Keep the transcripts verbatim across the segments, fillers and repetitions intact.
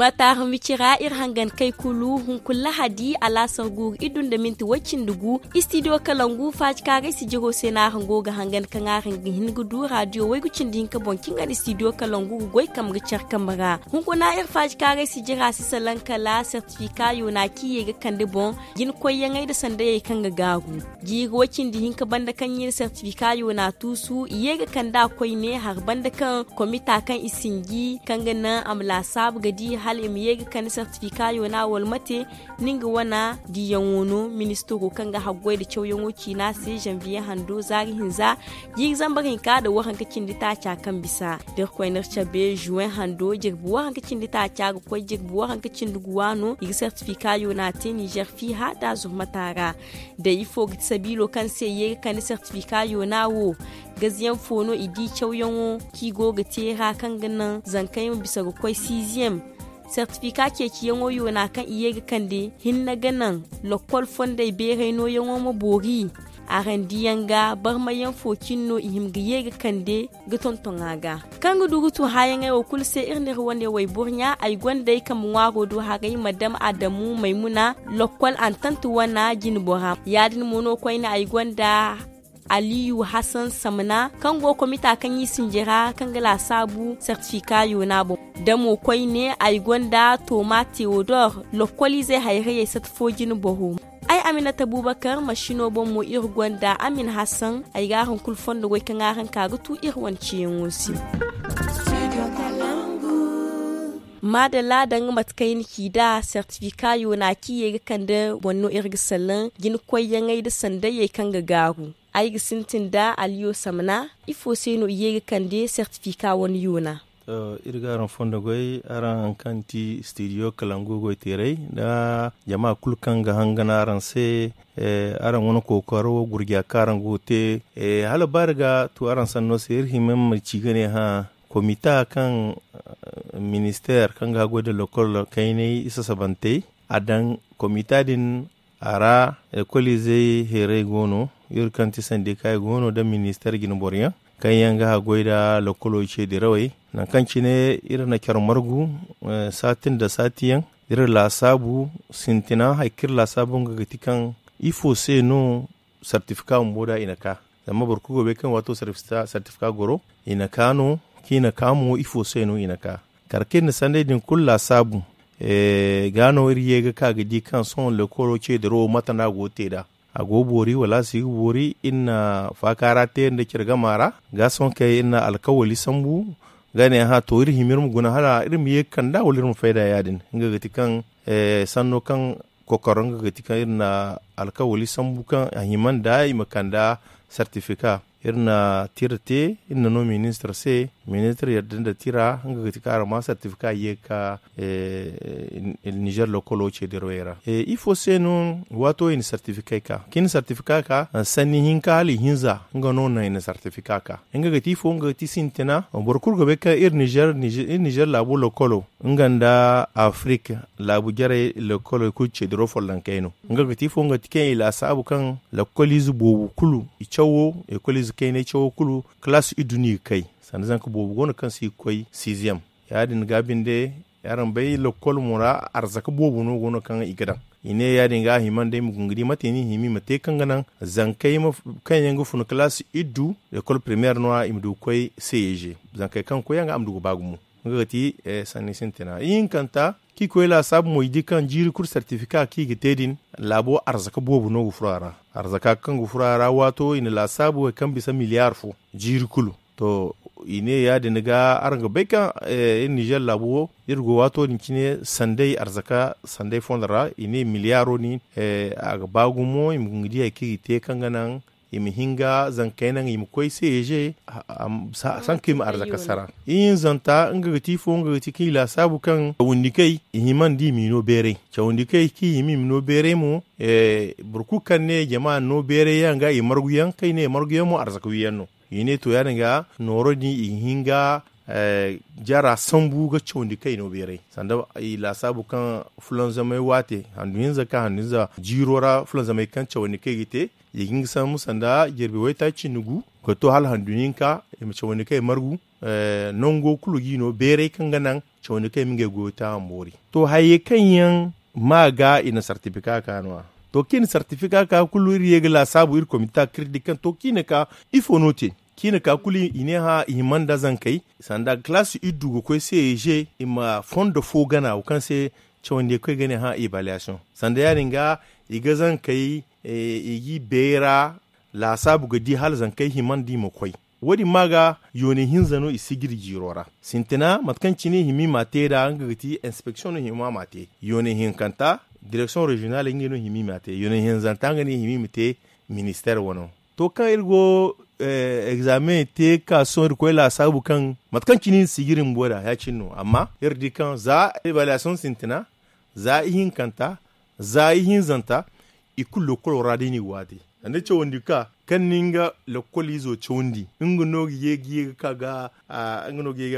Bataaru mici ra iri hangan kay kulu hunkuna lahadi alaasar guuru iddu nda minti way-cindi gu. Istidiyo kalangu faacikaaray sijiro se no araŋ go ga hangan kaŋ araŋ ga hin ga du raadiyo waygu cindi hinka boŋ kaŋ ga no istidiyo kalangu ga goy kambe ga care kambe ra. Hunkuna iri faacikaaray sijira si salaŋ kala sertifika yoona kaŋ i ye ga kande boŋ, jina koyyaŋey nda sandayey kaŋ ga gaaru. Jiiri way-cindi hinka banda kaŋ i na sertifika yoona tuusu i ye ga kand'a koyne hari banda kaŋ komita kaŋ i sinji kaŋ ga naŋ a ma laasaabu ga di hala i ma ye ga kande sertifika yoona wala mate. Ni nga wana diyaŋo no ministiro kaŋ ga haggoy nda cawyaŋo ciina se zanbiye hando zaari hinza jiiri zambar hinka nda waranka cindi taaca kaŋ bisa da iri koy no iri cabe zuwen hando jirbi waranka cindi taaca ga koy jirbi waranka cindi guwa no i ga sertifika yoona te ninzeer fiiha nda a zurmata ra. Da ifo ga ti sabiilo kaŋ se i ye ga kande sertifika yoona wo gaziyaŋ fo no i di cawyaŋo kaŋ i go ga te ra kaŋ ga naŋ zankey ma bisa ga koy siiziyem. Sertifika ceeciyaŋo yoona kaŋ i ye ga kande hinne ga naŋ lokkol fondey beeray nooyaŋo ma boori. Araŋ diyaŋ ga barmayaŋ fo cine no i hima ga ye ga kande ga tonton a ga kaŋ ga du ga tun haayaŋey wo kulu se iri na iri wane wayboro ɲa ay gonda ay kambe ŋwaaro do haray madam adamu maymuna lokkol antant wana jinbora ya- din mo no koyne ay gonda aliyu hasan samna kaŋ go komita kaŋ i sinji ra kaŋ ga laasaabu sertifika yoona boŋ. Da mo koyne ay gonda toma teodor lokkoliizey hayrayey sata fo jinboro. Ay aminata bubakar masino boŋ mo iri gonda amin hasan ay ga araŋ kulu fondo goy kaŋ araŋ ka ga tu iri wane ciyaŋo se. Maadalla danga mate kaŋ i na ci nd'a sertifika yoona kaŋ i ye ga kande boŋ no iri ga salaŋ jina koyyaŋey nda sandayey kaŋ ga gaaru. Ay ga sintin nda aliyo samna ifo se no i ye ga kande sertifika wane yoona? Iri ga araŋ fondo goy araŋ hari kaŋ ti stidiyo kalangu goyteerey nda jama kulu kaŋ ga hangan araŋ se. Araŋ wane kookaro gurja kaŋ araŋ go ga te hala baari ga tu araŋ sanno se iri hima ma ci ga ne hã komita kaŋ ministeer kaŋ ga haggoy nda lokol kaynay i sasabantey a daŋ komita din a ra lekoliizey heeray go no iri kaŋ ti sandikaay go no nda ministeer jinboro yaŋ kaŋ yaŋ ga haggoy nda lokolo ce dirawey. Nangu kaŋ cine iri na care margu saati nda saati yaŋ iri laasaabu sintina hari kaŋ iri laasaabu nga ga ti kaŋ ifo se no sartifika bumbo da i na ka zama boro kulu go ga bay kaŋ waato sartifika goro i na ka no kaŋ i na ka mo ifo se no i na ka kala kaŋ iri na sanday din kulu laasaabu ga no iri ye ga ka ga di kaŋ sohõ lekolo ce dirawo mate no a go ga te nd'a a go ga boori wala a si ga boori iri na faaka ra te nda care gama ra ga sohõ kaŋ iri na alkawali sambu ga ne hã to iri hima iri ma guna hala iri ma ye ga kand'a wala iri ma fayda ya- din nga ga ti kaŋ sanno kaŋ kokoro nga ga ti kaŋ iri na alkawali sambu kaŋ a hima nda i ma kand'a sartifika iri na tira te iri na no ministir se ministir yadda nda tira nga ga ti kaŋ araŋ ma sartifika ye ga ka ninzeer lokolo ce dirawey ra ifo se no waato i na sartifikey ka kaŋ i na sartifika ka sanni hinka hala ihinza nga no naŋ i na sartifika ka nga ga ti ifo nga ga ti sintina boro kulu ga bay kaŋ iri ninzeer laabo lokolo nga nda afirik laabu jarey lekkoley kulu ce diraw follonkey no nga ga ti ifo nga ga ti kaŋ i laasaabu kaŋ lekkoliize boobo kulu i cawo lekkoliize kaynay cawo kulu kalaasi iddu no i ga kay sanda zanka boobo go no kaŋ se i ga koy siiziyam ya- din ga binde araŋ bay lekkol mo ra arzaka boobo no go no kaŋ i ga daŋ i ne ya- din ga a hima nda ay ma guna ga di mate no i hima i ma te kaŋ ga naŋ zankey kaŋ yaŋ ga fun kalaasi iddu lekkol primeer no- ya i ma du ga koy ceeg zankey kaŋ ga koy yaŋ ga a ma du ga ba gumo nga ga ti sanni sintina ihinkanta kaŋ i koy laasaabu mo i di kaŋ jiiri kulu sartifika kaŋ i ga te din laabo arzaka boobo no ga furo a ra arzaka kaŋ ga furo a ra waato i na laasaabu hari kaŋ bisa miliyaar fo jiiri kulu to i ne ya- din ga araŋ ga bay kaŋ iri ninzeer laabo wo iri go waato din cine sanday arzaka sanday fondo ra i ne miliyaaro din a ga ba gumo i ma guna ga di hari kaŋ i ga te kaŋ ga naŋ i ma hin ga zankey naŋ i ma koy ceeg sanka i ma arzaka sara ihinzanta nga ga ti ifo nga ga ti kaŋ i laasaabu kaŋ cawandi kay i hima nda i m'i no beeray cawandi kay kaŋ i hima i ma no beeray mo boro kulu kaŋ ne jama no beeray yaŋ ga i margu yaŋ kaŋ i ne margu yaŋ mo arzaka wi yaŋ no i ne to ya- din ga nooro din i ga hin ga jara sambu ga cawandi kaŋ i no beeray sanda i laasaabu kaŋ fulanzamay waate handu hinza ka handu hinza jiiro ra fulanzamay kaŋ cawandi kaŋ i ga te i ga hin ga sambu sanda jirbi waytaaci cindi gu Koy to hala handu hinka i ma cawandi kay margu. Nango kulu ga i no beeray kaŋ ga naŋ cawandi kay ma ngey goyo te a ma boori. To hayey kaŋ yaŋ ma ga i na sartifika ka no- ya. To kaŋ i na sartifika ka kulu iri ye ga laasaabu iri komita kaŋ iri di kaŋ to kaŋ i na ka ifo no te? Kaŋ i na ka kulu i ne hã i hima nda zankey sanda kalaasi iri du ga koy se i ma fondo fo gana wo kaŋ se cawandi ga koy ga ne hã evaluation sanda ya- din ga i ga zankey i g'i beera. Laasaabu ga di hala zankey hima nda i ma koy. Wo- din ma ga yoone hinza no i si ga iri jiiro ra sintina mate kaŋ cine hima i m'a te nd'a nga ga ti inspeksiyoŋ no hima a m'a te. Yoone hinkanta direksiyoŋ reziyonal ngey no hima i m'a te yoone hinzanta nga ne hima i ma te. Ministeer wano to kaŋ iri go egzaameŋ te ga ka sohõ iri koy laasaabu kaŋ mate kaŋ cine iri si ga iri bumbo nd'a ya-cine no amma iri di kaŋ za evaluwaasiyoŋ sintina za ihinkanta za ihinzanta i kulu lokkolo ra day no i go a te. Sanda cawandi ga ka kaŋ ni nga lokkol izo cawandi nga no ga ye ga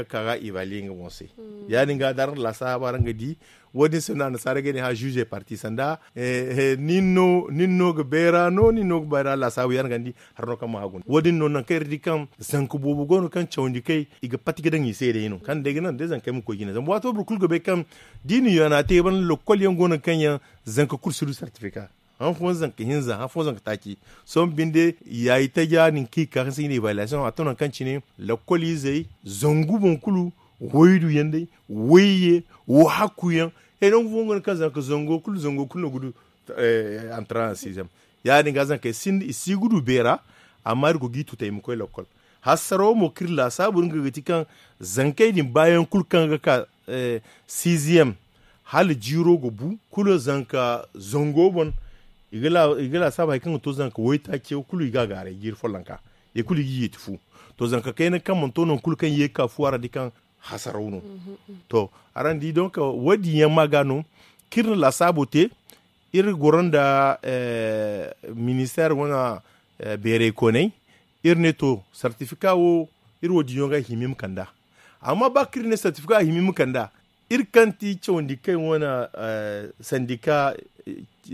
ka ga evaluwe nga boŋ se. Ya- din ga da araŋ na laasaaba araŋ ga di wo- din se no annasaara ga ne hã zuze parti sanda nin no ga beera no nin no ga beera laasaabu ya- din ga ni di hari no kaŋ ma haggu nda wo- din no nangu kaŋ iri di kaŋ zanka boobo go no kaŋ cawandi kay i ga pati ga daŋ i se day no kaŋ day ga naŋ day zankey ma koy jine zama waato boro kulu ga bay kaŋ da i na yoona te banda lokkol yaŋ go no kaŋ yaŋ zanka kulu si du sartifika. Han fooyaŋ zanka hinza han fooyaŋ zanka taaci. Sohõ binde yaayi taja nin kaŋ i ga ka kaŋ se i na evaluwaasiyoŋ a to nangu kaŋ cine lakkol izey zangu boŋ kulu waydu yaŋ day wayye wo hakku yaŋ. He nangu fooyaŋ go no kaŋ zanka zango kulu zango kulu no ga du antaranasizam. Ya- din ga zankey sinda i si ga du beera. Amma iri go ga i tuta i ma koy lakkol hasarawo mo kaŋ iri laasaabu nga ga ti kaŋ zankey din baayaŋ kulu kaŋ ga ka siiziyam hala jiiro ga bu kulu zanka zango boŋ. I ga laasaabu hari kaŋ ga to zanka waytaaci wo kulu i ga a gaaray jiiri follonka i kulu i ga yeeti fu. To zanka kayna kaŋ mana to nangu kulu kaŋ ye ga ka fu a ra di kaŋ hasaraw no. To araŋ di donk wo- din yaŋ ma ga no kaŋ iri na laasaabo te. Iri goro nda ministeer wane beeray koonay iri ne to sartifika wo iri wo- din yaŋ ga hima i ma kand'a. Amma ba kaŋ iri ne sartifika a hima i ma kand'a iri kaŋ ti cawandi kay wane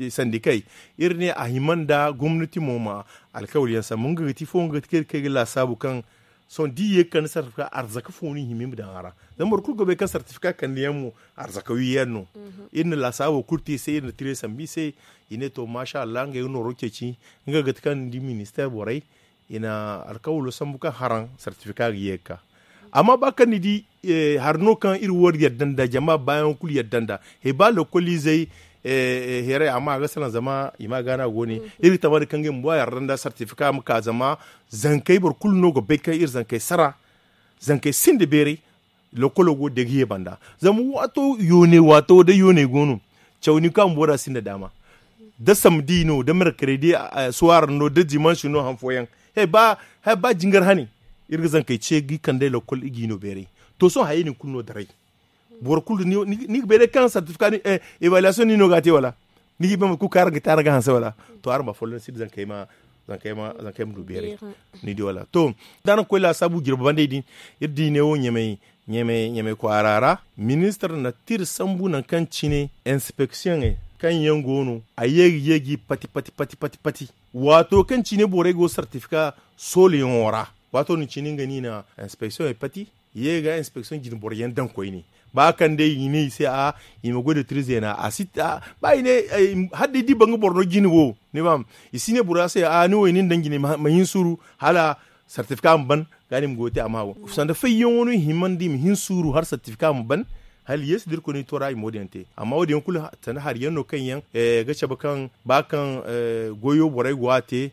sandikey iri ne a hima nda gomnati mo ma alkawali yaŋ sambu nga ga ti ifo nga ga ti kaŋ iri ga laasaabu kaŋ sohõ da i ye ga kande sartifika arzaka fo no i hima i ma daŋ a ra. Zama boro kulu ga bay kaŋ sartifika kande yaŋ mo arzaka wi yaŋ no. Iri na laasaabo kulu te i se iri na tire sambu i se. I ne to maasa allah ngey ga nooro ceeci nga ga ti kaŋ ni di ministeer borey i na alkawalo sambu kaŋ haraŋ sartifika ga ye ga ka. Amma ba kaŋ ni di hari no kaŋ iri wo iri yadda nda jama baayaŋo kulu yadda nda he ba lokkol izey heeray amma a ga salaŋ zama i ma a gaana go ne iri ga tama nda kaŋ ga i ma ba yarda nda sartifika ma ka zama zankey boro kulu no ga bay kaŋ iri zankey sara zankey sinda beeray. Lokkolo go degiye banda zama waato yoone waato day yoone go no. Caw ni kaŋ bumbo da a sinda daama da samdi no da merkredi suwaara no da dimansi no han fooyaŋ. Hay ba jingar hani iri ga zankey ce ga i kand'ey lakkol i g'i no beeray. To sohõ hayey din kulu no daray boro kulu ni ga bay day kaŋ sartifika evaluwaasiyoŋ ni no ga a te wala? Ni ga i bay mate kulu kaŋ araŋ ga te araŋ ga hanse wala? To araŋ ma folloŋ si da zankey ma du beeray. Ni di wala to da araŋ ga koy laasaabu jirbi bandey din iri di ne wo ɲamey ɲamey kwaara ra. Ministir na tira sambu nangu kaŋ cine inspeksiyoŋey kaŋ yaŋ go no a ye ga ye ga i pati pati pati pati pati. Waato kaŋ cine borey go sartifika soolayaŋo ra waato din cine nga no i na inspeksiyoŋey pati. Ye ga inspeksiyoŋ jine boro yaŋ daŋ koyne ba kaŋ day i ne i se a i ma goy da tira zeena a si ba i ne hala day da i ba nga boro no jine wo ni faham. I si ne bora se a ni wo i nin daŋ jine ma hin suuru hala sartifika ma ban. Ga ni ma goy te a ma wo sanda fayyaŋo no i hima nda i ma hin suuru hala sartifika ma ban. Hala yeesu da irkoy no i to ra i ma wo- din yaŋ te amma wo- din yaŋ kulu sanda hari yaŋ no kaŋ yaŋ ga cabe kaŋ ba kaŋ goyo borey go a te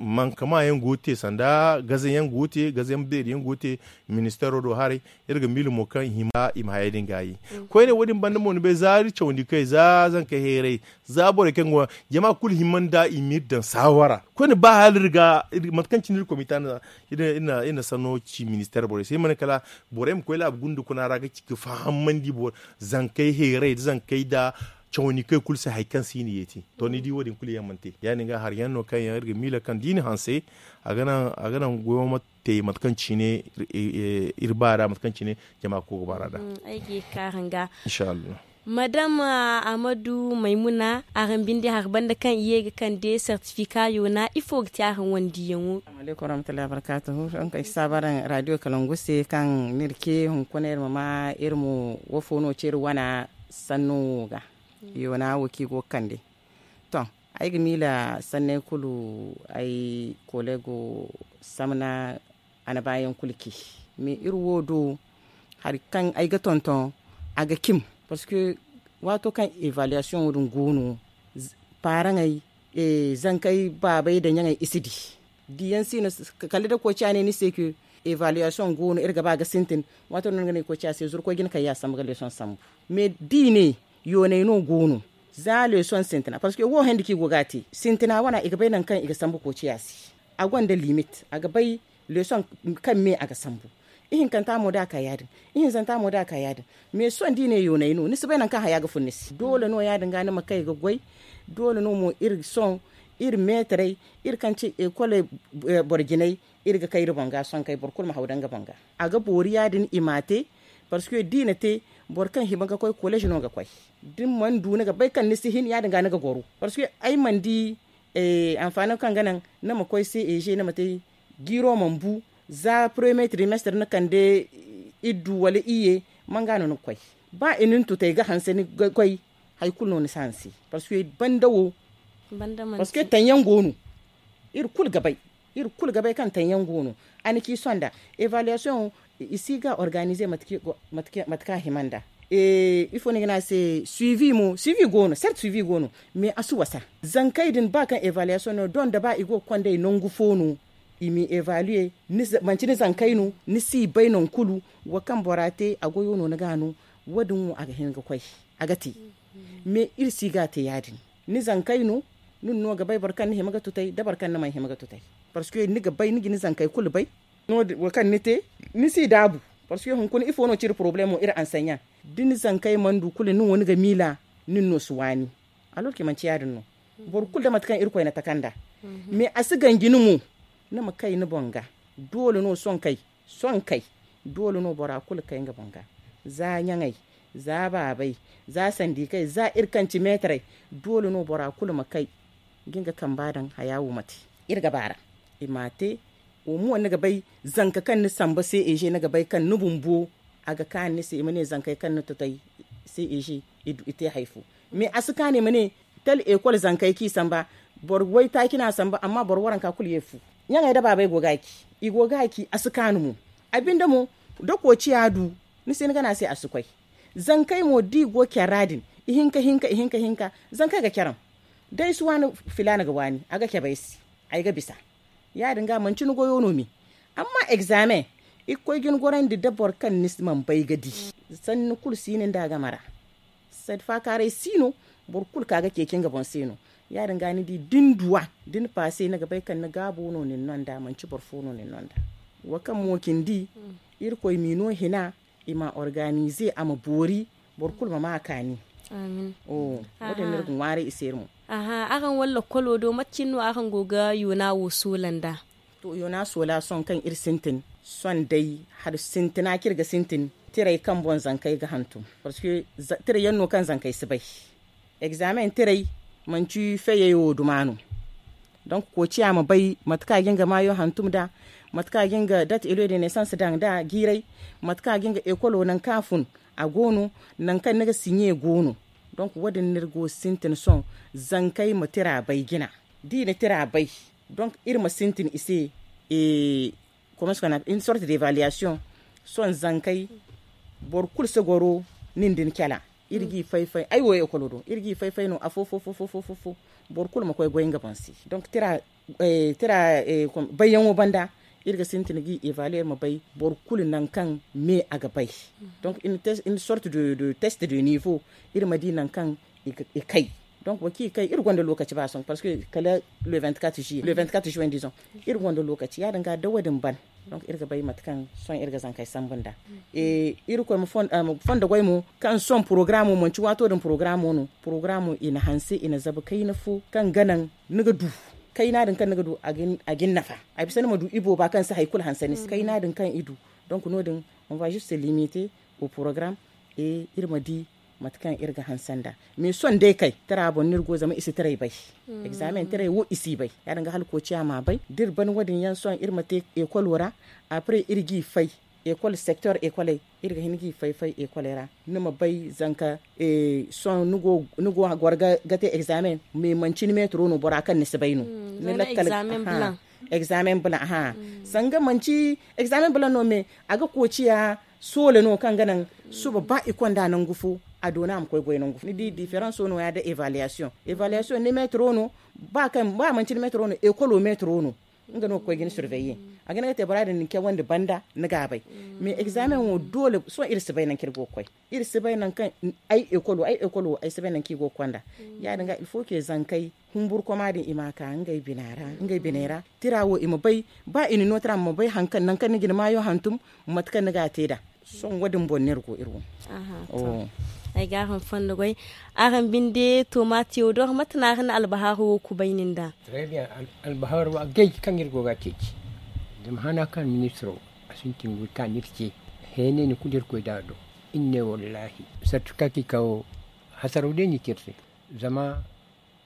mankama yaŋ go te sanda gaze yaŋ go te gaze yaŋ beeri yaŋ go te. Ministeero do haray iri ga miila mo kaŋ i hima i ma hayey din gaayi. Koyne wo- din banda mo ni bay za iri cawandi kay za zankey heeray za borey kaŋ go jama kulu hima nda i ma iri daŋ saawara koyne ba hala iri ga mate kaŋ cine iri komita na iri na sanno ci ministeer borey se iri ma ne kala borey ma koy laabu gunda kuna ra ga fahamandi zankey heeray nda zankey nda cawandi kay kulu se hari kaŋ se i na yeeti. To ni di wo- din kulu yaŋ mana te ya- din ga hari yaŋ no kaŋ yaŋ iri ga miila kaŋ da i na hanse a ga naŋ goyo ma te mate kaŋ cine iri ba ra mate kaŋ cine jama ga koy ga ba ra da. Ay ga ye ga ka araŋ ga inshallah. Madam, amadu maymuna, araŋ binde hari banda kaŋ i ye ga kande sertifika yoona, ifo ga te araŋ wane diiyaŋo? Aleykum warahmatullahi wabarakatuhu. Araŋ kaŋ ay si saaba araŋ radio kalangu se kaŋ ni iri ce hunkuna iri ma maa iri ma wafo no ce iri wana sanno wo ga. Yoona wo kaŋ i go ga kande. To, ay ga miila sanney kulu, ay kolego samna a na baayaŋ kulu ci. Mais iri wo do hari kaŋ ay ga tonton a ga cim. Parce que waato kaŋ evaluation wo din go no, paaraŋey, zankey baabey da ɲaŋey i si di. Diyaŋ si no. Kala da koociya ne ni se ke evaluation go no iri ga ba ga sintin. Waato no ni ga ne koociya se zuru koy jina kaŋ ya sambu ga leesoŋ sambu. Mais da i ne yooney no go no, za leesoŋ sintina parce que wo handi kaŋ i go ga a te sintina wane i ga bay nangu kaŋ i ga sambu koociya se. A gonda limit a ga bay leesoŋ kaŋ me a ga sambu. Ihinkanta mo da a ka ya- din. Ihinzanta mo da a ka ya- din. Mais sohõ da i ne yooney no ni si bay nangu kaŋ haya ga fun ni se doole no ya- din ga ni ma kay ga goy. Doole no mo iri sohõ iri meetarey, iri kaŋ ci ekol boro jinay, iri ga kay iri boŋ ga sohõ kay boro kulu ma haw daŋ nga boŋ ga. A ga boori ya- din i m'a te. Parce que da i na te boro kaŋ hima ga koy kolej no ga koy. Da ni mana du ni ga bay kaŋ ni si hin ya- din ga ni ga goro. Parce que ay mana di anfaano kaŋ ga naŋ ni ma koy se eze ni ma te. Jiiro mana bu za premier trimestre ni kande iddu wala iyye, man ga no ni ga koy? Ba i na ni tutay ga hanse ni ga koy. Hari kulu no ni si hanse. Parce que banda wo parce que taŋ yaŋ go no. Iri kulu ga bay iri kulu ga bay kaŋ taŋ yaŋ go no. A na ci sonda evaluation i si ga organiser mate kaŋ a hima nda. Ifo no i ga ne a se suivi mo suivi go no sert suivi go no. Mais a si wasa zankey din ba kaŋ evaluation no donda ba i go ga konda i nangu fo no. I m'i evaluer manti ni zankey no ni si bay nangu kulu. Wo kaŋ bora te a goyo no ni ga no. Wo- din wo a ga hin ga koy a ga te. Mais iri si ga a te ya- din. Ni zankey no ni no ga bay boro kaŋ ni hima ga tutay da boro kaŋ ni mana hima ga tutay. Parce que ni ga bay ni ga ni zankey kulu bay. Wo kaŋ ni te ni si daabu. Parce que hunkuna ifo no ci iri problemo iri anseɲa da ni zankey mana du kulu nin wo ni ga miila. Nin no si waani. Alors que manti ya- din no. Boro kulu da mate kaŋ irkoy na taka nd'a. Mais a si ganji ni mo ni ma kay ni boŋ ga. Doole no sohõ kay sohõ kay doole no bora kulu kay nga boŋ ga. Za ɲaŋey za baabey za sandikey za iri kaŋ ci meetarey. Doole no bora kulu ma kay ga nga kamba daŋ haya wo ma te. Iri ga baara i m'a te. Wo mo ni ga bay zanka kaŋ ni samba se eze ni ga bay kaŋ ni bumbo a ga kaanu ni se i ma ne zankey kaŋ ni tutay se eze i te hari fo. Mais a si kaanu i ma ne tel ekol zankey kaŋ i samba boro waytaaci no a samba amma boro waranka kulu ye fu. Ɲaŋey da baabey go ga a ci i go ga a ci a si kaanu mo. A binde mo da koociya du ni se ni gana se a si koy. Zankey mo da i go care ra din ihinka hinka ihinka hinka zankey ga care. Day si waani filaana ga waani a ga cabe ay se. Ay ga bisa ya- din ga manti ni goyo no me. Amma examen i ga koy ga ni gorandi da boro kaŋ ni mana bay ga di. Sanni kulu si ni nda a game ra. Sadi faakaaray si no. Boro kulu ka ga ceeci nga boŋ se no. Ya- din ga ni di da ni duw'a da ni paase ni ga bay kaŋ ni gaabo no nin no nd'a manti boro fo no nin no nd'a. Wo kaŋ mo cindi irkoy m'i no hina i m'a organize a ma boori. Boro kulu ma maa a kaani. Wo- din no iri ga ŋwaaray i se iri mo. Aha araŋ walla kolo do mate cine no araŋ go ga yoona wo soola nd'a? To yoona soola sohõ kaŋ iri sintin sohõ day hari sintina kaŋ iri ga sintin tiray kaŋ boŋ zankey ga hantum. Parce que tiray yaŋ no kaŋ zankey si bay. Examen tiray manti feyey wo duma no. Donc koociya ma bay mate kaŋ a ga nga maayo hantum nd'a, mate kaŋ a ga nga date eloi de naissance daŋ nd'a jiiray, mate kaŋ a ga nga ekolo nangu kaŋ a fun a go no, nangu kaŋ ni ga siɲe go no. Donc wo- din no iri go ga sintin sohõ zankey ma tira bay jina. Da i na tira bay donc iri ma sintin i se. Comment se qu'on appelle une sorte d'évaluation. Sohõ zankey boro kulu si goro nin da ni cala. Iri g'i fay-fay ay wo ekolo do iri g'i fay-fay no afo fo fo fo fo. Boro kulu ma koy goy nga boŋ se donc tira tira bayyaŋo banda. Iri ga sintin g'i évaluer iri ma bay boro kulu nangu kaŋ me a ga bay. Donc une sorte de test de niveau iri ma di nangu kaŋ i kay. Donc wo kaŋ i kay iri gonda lokaci ba sohõ parce que kala le vingt-quatre juillet le vingt-quatre juin disons. Iri gonda lokaci ya- din ga da wo- din ban. Donc iri ga bay mate kaŋ sohõ iri ga zankey sambu nd'a. Irkoy ma fondo goy mo kaŋ sohõ programo manti waato din programo no. Programo i na hanse i na zabu kayna fo kaŋ ga naŋ ni ga du kayna din kaŋ ni ga du a ga ni nafa. A bisa ni ma du ibooba kaŋ si hari kulu hanse ni se kayna din kaŋ i du. Donc no- din on va juste se limiter au programme. Iri ma di Mate kaŋ iri ga hanse nd'a, mais sohõ day kay tira boŋ no iri go zama i si tiray bay. Examen tiray wo i si bay. Ya- din ga hala koociya m'a bay da iri ban wo- din yaŋ sohõ iri ma te ekolo ra. Après iri g'i fay ekol secteur ekoley, iri ga hin g'i fay fay ekoley ra. Ni ma bay zanka sohõ ni go a goro ga te examen, mais manci ni metro no bora kaŋ ni si bay no. Ni lakkal examen blanc. Aha. Sanga manci examen blanc no, mais a ga koociya soola no kaŋ ga naŋ suba ba i konda nangu fo, a doona a ma koy goy nangu fo. Ni di différence no ya da évaluation. Évaluation ni metro no, ba manci ni metro no, ekolo metro no. Nga no ga koy ga ni surveiller. A ga ne ga te bora din ni cawandi banda ni ga a bay. Mais examen wo doole sohõ iri si bay nangu kaŋ iri go ga koy. Iri si bay nangu kaŋ ay ekolo ay ekolo ay si bay nangu kaŋ i go ga konda. Ya- din ga il faut que zankey humburu koma din i ma ka ngey biney ra. Tira wo i ma bay, ba i na no tira ma bay nangu kaŋ ni ga ni maayo hantum, mate kaŋ ni ga a te nd'a. Sohõ wo- din boŋ no iri go iri wo. Ay ga araŋ fondo goy. Araŋ binde tomaatiyo do mate no araŋ na albahaaro wo kubay nin da? Albaharo agay kaŋ iri go ga a ceeci. Zama hana kaŋ ministiro a sintin ga ka no iri ce. Heenay ni kulu iri koy da a do. Iri ne wallahi sartu kaŋ ka i kawo hasaraw day no i te iri se. Zama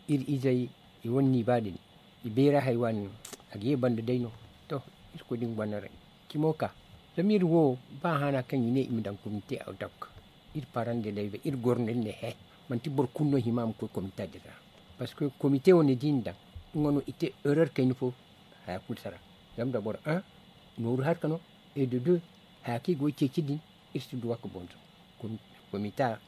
iri izey i wane ni ba din i beera hay waani no. A ga ye banda day no. To, iri koy din gonda ray cimo ka. Zama iri wo ba hana kaŋ i ne i ma daŋ komite a dok. Iri parande day bay iri goro no iri ne he. Manti boro kulu no hima a ma koy komite din ra. Parce que komite wo ni di ni daŋ nga no i te erreur kayna fo. Haya kulu sara. Zama da boro nooru harka no. Et de deux, haya kaŋ i go ga ceeci din, iri si duwa ga boŋ zama komita.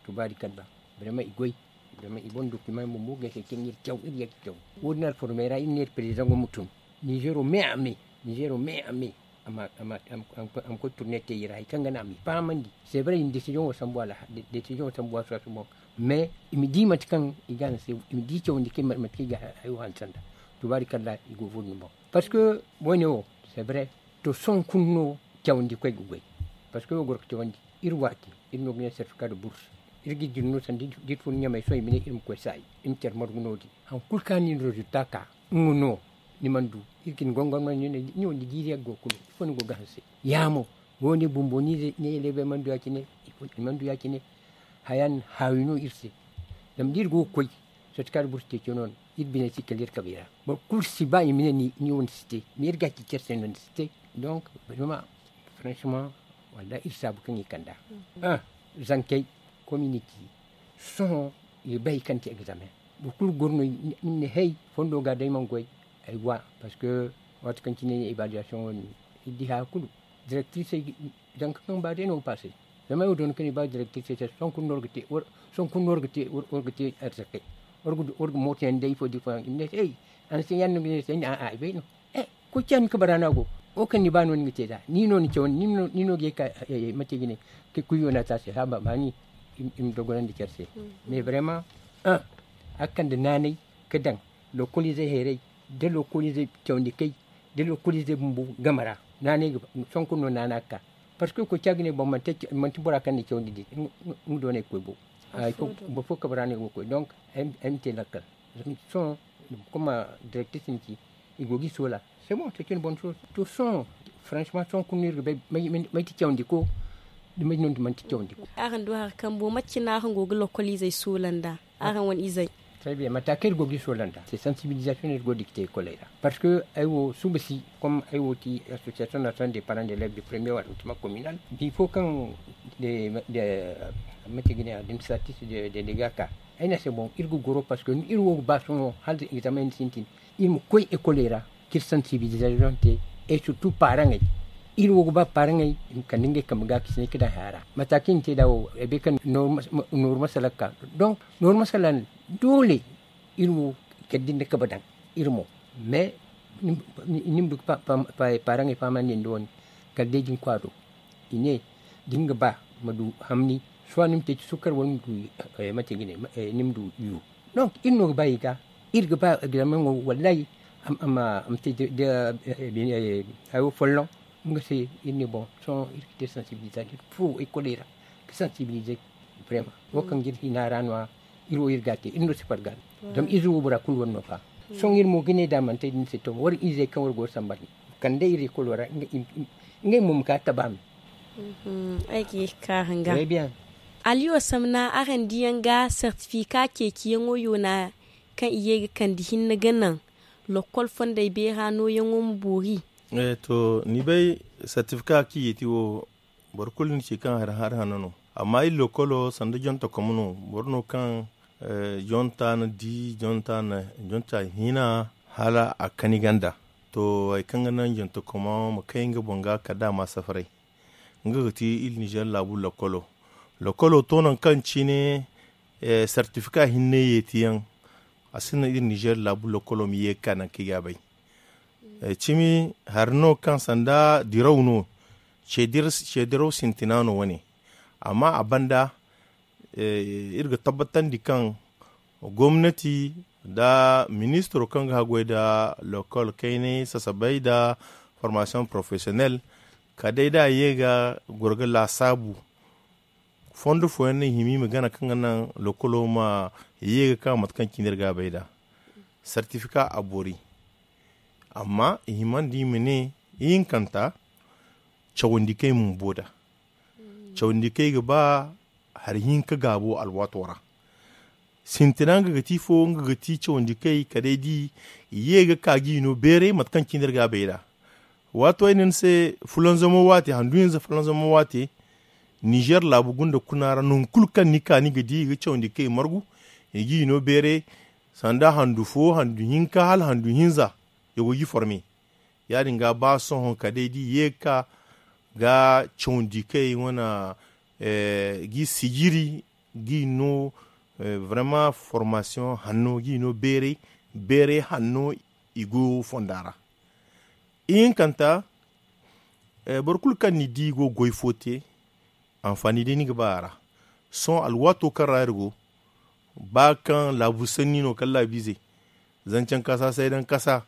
Tubaari kalla. Birama i goy. Birama i boŋ document bumbo ga se kaŋ iri caw iri ya ga caw. Wo- din alformey ra iri ne iri président go ma tun. Nizero me a me. Nizero me a me. A ma koy turne te iri ra hari kaŋ ga naŋ a m'i fahamandi. C'est vrai i na décision wo sambu a la décision wo sambu a suwa sumo. Mais i ma di mate kaŋ i ga a na se i ma di cawandi kaŋ mate kaŋ i ga hayo hanse nd'a. Tubaari kalla i go ga furo ni boŋ. Parce que woyne wo c'est vrai. To sohõ kulu no cawandi koy ga goy. Parce que wo goro ga cawandi iri waati iri no ga ne certificat de bourse. Iri ga iri no sanda iri furo ɲamay sohõ i ma ne iri ma koy saayi. Iri ma care margu no- din hari kulu kaŋ ni na résultat ka nga no. Ni mana du iri ga ni gongorma ni wo ni jiiri yaŋ ga go kulu ifo ni go ga hanse. Ya mo wo- ne bumbo ni ne elebey mana du ya- cine. Ifo ni mana du ya- cine. Haya din haawi no iri se. Zama da iri go ga koy certificat de bourse ceeciyo no iri bine si kala iri kabay ra. Boro kulu si ba i ma ne ni wo ni si te mais iri ga a ci care se no ni si te. Donc vraiment franchement, wallahi iri saabu kaŋ i kand'a. Zankey community sohõ i ga bay hari kaŋ ti examen. Boro kulu goro no i ma ne hey, fondo ga day mana goy. Ay wa parce que waati kaŋ cine évaluation wo- din iri di haya kulu directrice zanka kaŋ ba day no ga passe. Zama ay wo doona kaŋ i ba directrice se sohõ kulu no war ga te war ga te arzakey. War ga mooto yaŋ day ifo da ifo yaŋ i ma ne se hey, a na se yaŋ no ga ne se ay ne a'a ay bay no. Koy ciya ni kabara no a go. Wo kaŋ ni ba no ni ga te nd'a ni no ni cawandi ni no ga ye ka mate ga ne. Kuyo no a te a se haba baani. I ma dogonandi care se. Mais vraiment a ga kande naanay ga daŋ lokoliizey hayray, da lokoliizey cawandi kay, da lokoliizey bumbo game ra. Naanay ga ba sohõ kulu no naana ga ka. Parce que koy ciya ga ne boŋ manti bora kaŋ na cawandi din nga doonay ga koy bo. Boro fo kabara no ay go ga koy donc ay ma te lakkal. Sohõ kuma directrice ni ci i go ga i soola. C'est bon c'est une bonne chose. To sohõ franchement sohõ kulu no iri ga bay may ti cawandi ko. Da may no manti cawandi ko. Araŋ du hari kambo mate cine araŋ go ga lokoliizey soola nd'a? Araŋ wane izey. Très bien mata kaŋ iri go ga i soola nd'a c'est sensibilisation no iri go ga dikte ékoley ra. Parce que ay wo suba si comme ay wo ti association nationale des parents d'élèves du premier arrondissement communal bifo kaŋ mate ga ne administratif de délégat ka. Ay ne a se boŋ iri ga goro parce que iri wo ga ba sohõ hala examen sintin iri ma koy ékoley ra ka iri sensibilisation te. Et surtout paaraŋey iri wo ga ba paaraŋey i ma kande ngey kambe ga ka sinay ka daŋ haya ra. Mata kaŋ i na te nd'a wo ay bay kaŋ nooru masala ga ka. Donc nooru masala doole iri wo kala da ni na kabe daŋ iri mo. Mais ni ma du ga paaraŋey fahamandi nda wane kala day da ni koy a do i ne da ni ga ba ma du hamni. Soit ni ma te ci sukkar wala ni ma du yu. Donc iri no ga ba i ga iri ga ba examen wo wallahi a ma te hayo folloŋ. Nga se iri ne boŋ sohõ iri ga te sensibilisation furo ékoley ra ga sensibiliser. Vraiment wo kaŋ ga iri hina ra no- ya iri wo iri ga a te iri no si farga. Zama ize wo bora kulu wane no fa. Sohõ iri mo ga ne da a mana te da ni se to war izey kaŋ war go ga sambar ni kande iri ékolo ra ngey mo ma ka taba me. Ay ga ye ga ka hanga. Aliyo samna araŋ diyaŋ ga sertifika ceeciyaŋo yoona kaŋ i ye ga kande hinne ga naŋ lokol fondey beera nooyaŋo ma boori. To ni bay, sertifika kaŋ i ye ti wo, boro kulu ni ci kaŋ hari hari hanno no. Amma iri lokolo sanda jonta komo no. Boro no kaŋ jonta na di jonta na jonta hina hala a kani ganda. To hari kaŋ ga naŋ jonta komo ma kay nga boŋ ga kala da a ma safaray. Nga ga ti iri nizer laabu lokolo. Lokolo to nangu kaŋ cine sertifika hinne yeeti yaŋ. A sinda iri nizer laabu lokolo ma ye ga ka nangu kaŋ i ga a bay. Cimi hari no kaŋ sanda diraw no. Ceediraw sintina no wane. Amma a banda iri ga tabbatandi kaŋ gomnati nda ministiro kaŋ ga haggoy nda lokol kaynay sasabay nda formasiyoŋ porofesiyonel kala day da a ye ga goro ga laasaabu. Fondo fooyaŋ no i hima i ma gana kaŋ ga naŋ lokolo ma ye ga ka mate kaŋ cine iri ga a bay nd'a. Sertifika a boori. Amma i himandi i ma ne ihinkanta cawandi kaŋ i ma bumbo nd'a. Cawandi kaŋ i ga ba hari hinka gaabo alwaato ra. Sintina nga ga ti fo nga ga ti cawandi kaŋ i kala day da i ye ga ka ga i no beeray mate kaŋ cine iri ga a bay nd'a. Waato ay ne ni se fulanzamo waate handu hinza fulanzamo waate. Nizer laabu gunda kuna ra nangu kulu kaŋ ni ka ni ga di i ga cawandi kaŋ i margu i ga i no beeray. Sanda handu fo handu hinka hala handu hinza i go ga i forme. Ya- din ga ba sohõ kala day da i ye ga ka ga cawandi kaŋ i wane ga i sijiri ga i no. Vraiment formasiyoŋ hanno ga i no beeray beeray hanno i go fonda ra. Ihinkanta boro kulu kaŋ ni di i go ga goy fo te. Anfaani day ni ga ba a ra. Sohõ alwaato kaŋ ra iri go ba kaŋ laabu sanni no kala laabiizey. Zancaŋ kasa saydaŋ kasa